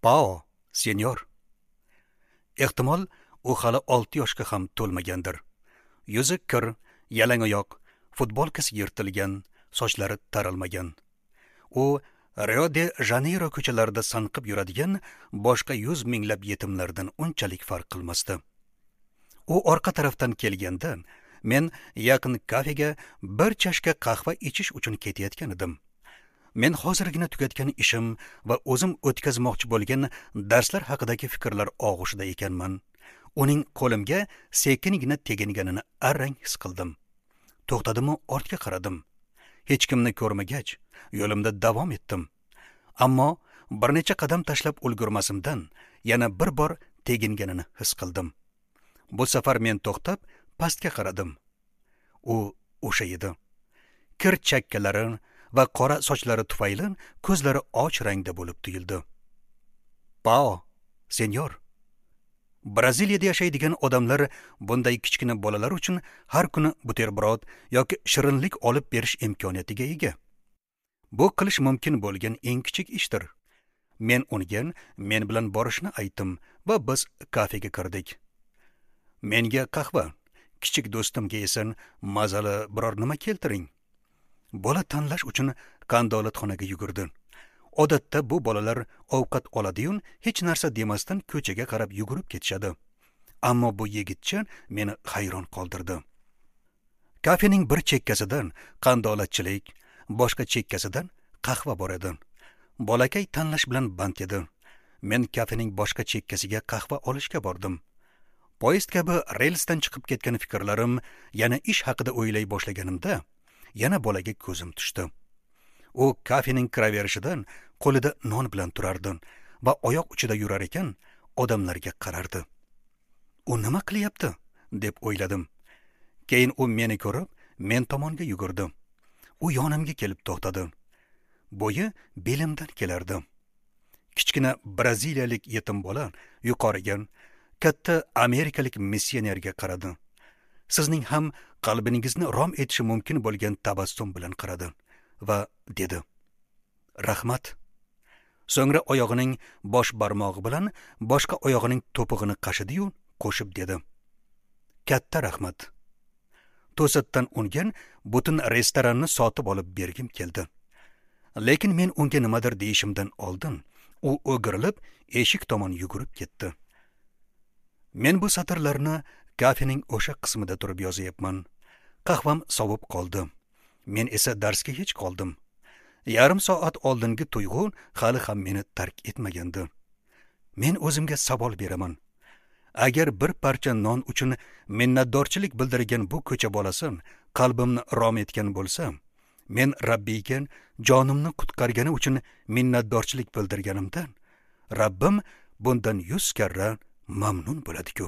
Pao, senyor. Ehtimol, u hali 6 yoshga ham to'lmagandir. Yuzi kir, yalangoyoq, futbolkasi yirtilgan, sochlari taralmagan. U Rio de Janeyro ko'chalarida sanqib yuradigan boshqa 100 minglab yetimlardan unchalik farq qilmasdi. U orqa tarafdan kelganda, men yaqin kafega bir chashka qahva ichish uchun ketayotgan edim. Men hozirgina tugatgan ishim va o'zim o'tkazmoqchi bo'lgan darslar haqidagi fikrlar og'ushida ekanman. Uning qo'limga sekingina teginganini arang his qildim. To'xtadimu ortga qaradim. Hech kimni ko'rmagach, yo'limda davom etdim. Ammo bir necha qadam tashlab ulgurmasimdan yana bir bor teginganini his qildim. Bu safar men to'xtab, pastga qaradim. U o'sha edi. Kir chakkalari va qora sochlari tufayli ko'zlari och rangda bo'lib tuyuldi. Pao, senyor. Braziliyada yashaydigan odamlar bunday kichkina bolalar uchun har kuni buterbrod yoki shirinlik olib berish imkoniyatiga ega. Bu qilish mumkin bo'lgan eng kichik ishdir. Men unga men bilan borishni aytdim va biz kafega kirdik. Menga qahva, kichik do'stimga esa mazali biror nima keltiring. Bola tanlash uchun qandolatxonaga yugurdi. Odatda bu bolalar ovqat oladi-yu, hech narsa demasdan ko'chaga qarab yugurib ketishadi. Ammo bu yigitcha meni hayron qoldirdi. Kafening bir chekkasidan qandolatchilik, boshqa chekkasidan qahva bor edi. Bolakay tanlash bilan band edi. Men kafening boshqa chekkasiga qahva olishga bordim. Poyezd kabi relsdan chiqib ketgan fikrlarim yana ish haqida o'ylay boshlaganimda, yana bolaga ko'zim tushdi. U kafening kiraverishidan qo'lida non bilan turardi va oyoq uchida yurar ekan, odamlarga qarardi. U nima qilyapti, deb o'yladim. Keyin u meni ko'rib, men tomonga yugurdi. U yonimga kelib to'xtadi. Bo'yi belimdan kelardi. Kichkina braziliyalik yetim bola yuqoriga, katta amerikalik missionerga qaradi. Sizning ham qalbingizni rom etishi mumkin bo'lgan tabassum bilan qaradi va dedi: "Rahmat." So'ngra oyog'ining bosh barmog'i bilan boshqa oyog'ining to'pig'ini qashidi-yu, qo'shib dedi: "Katta rahmat." To'satdan unga butun restoranni sotib olib bergim keldi. Lekin men unga nimadir deyishimdan oldin u o'girilib eshik tomon yugurib ketdi. Men bu satrlarni kafening o'sha qismida turib yozyapman. Qahvam sovib qoldi. Men esa darsga hech qoldim. Yarim soat oldingi tuyg'u hali ham meni tark etmagandi. Men o'zimga savol beraman. Agar bir parcha non uchun minnatdorchilik bildirgan bu ko'cha bolasi qalbimni rom etgan bo'lsa, men Rabbiyga jonimni qutqargani uchun minnatdorchilik bildirganimdan Rabbim bundan 100 karra mamnun bo'ladi-ku.